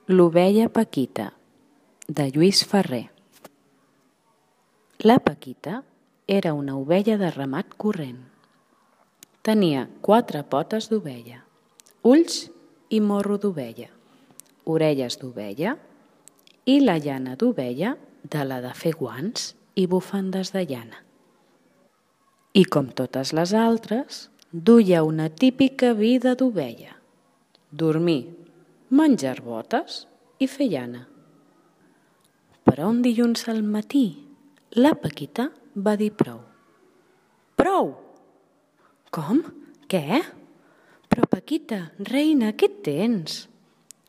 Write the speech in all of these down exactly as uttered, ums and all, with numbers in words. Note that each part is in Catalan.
L'ovella Paquita, de Lluís Ferrer. La Paquita era una ovella de ramat corrent. Tenia quatre potes d'ovella, ulls i morro d'ovella, orelles d'ovella i la llana d'ovella de la de fer guants i bufandes de llana. I com totes les altres, duia una típica vida d'ovella: dormir, menjar botes i fer llana. Però un dilluns al matí, la Paquita va dir prou. Prou! Com? Què? Però Paquita, reina, què tens?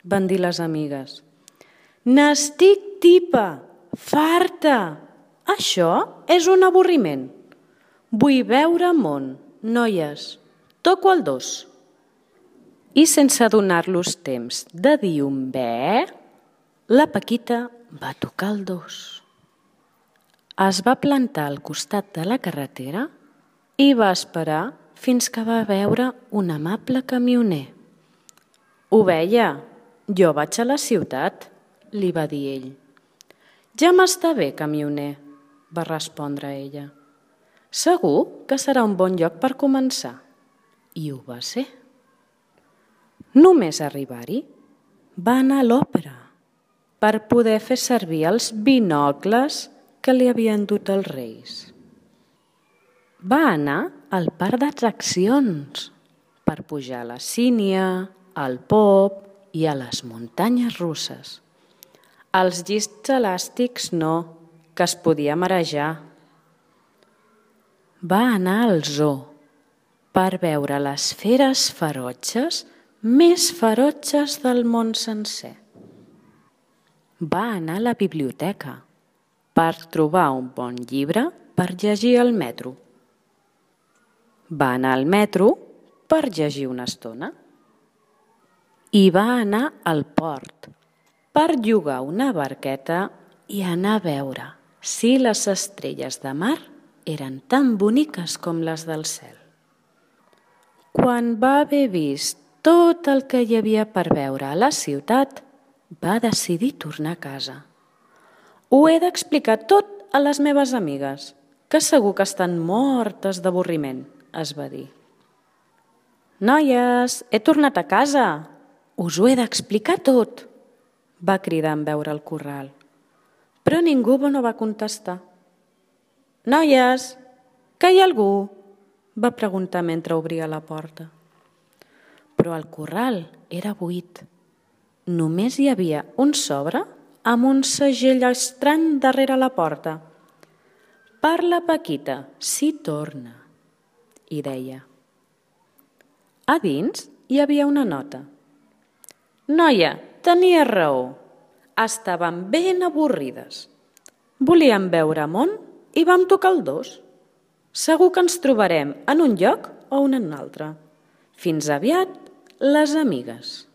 Van dir les amigues. N'estic tipa, farta. Això és un avorriment. Vull veure món, noies. Toco el dos. I sense donar-los temps de dir un bé, la Paquita va tocar el dos. Es va plantar al costat de la carretera i va esperar fins que va veure un amable camioner. Ovella, jo vaig a la ciutat, li va dir ell. Ja m'està bé, camioner, va respondre ella. Segur que serà un bon lloc per començar. I ho va ser. Només arribar-hi, va anar a l'òpera per poder fer servir els binocles que li havien dut els reis. Va anar al parc d'atraccions per pujar a la sínia, al pop i a les muntanyes russes. Els llists elàstics no, que es podia marejar. Va anar al zoo per veure les feres ferotges més ferotges del món sencer. Va anar a la biblioteca per trobar un bon llibre per llegir al metro. Va anar al metro per llegir una estona. I va anar al port per llogar una barqueta i anar a veure si les estrelles de mar eren tan boniques com les del cel. Quan va haver vist tot el que hi havia per veure a la ciutat, va decidir tornar a casa. Ho he d'explicar tot a les meves amigues, que segur que estan mortes d'avorriment, es va dir. Noies, he tornat a casa, us ho he d'explicar tot, va cridar en veure el corral. Però ningú no va contestar. Noies, que hi ha algú? Va preguntar mentre obria la porta. Però el corral era buit. Només hi havia un sobre amb un segell estrany darrere la porta. Per la Paquita, si torna, hi deia. A dins hi havia una nota. Noia, tenies raó. Estàvem ben avorrides. Volíem veure món i vam tocar el dos. Segur que ens trobarem en un lloc o en un altre. Fins aviat, les amigues.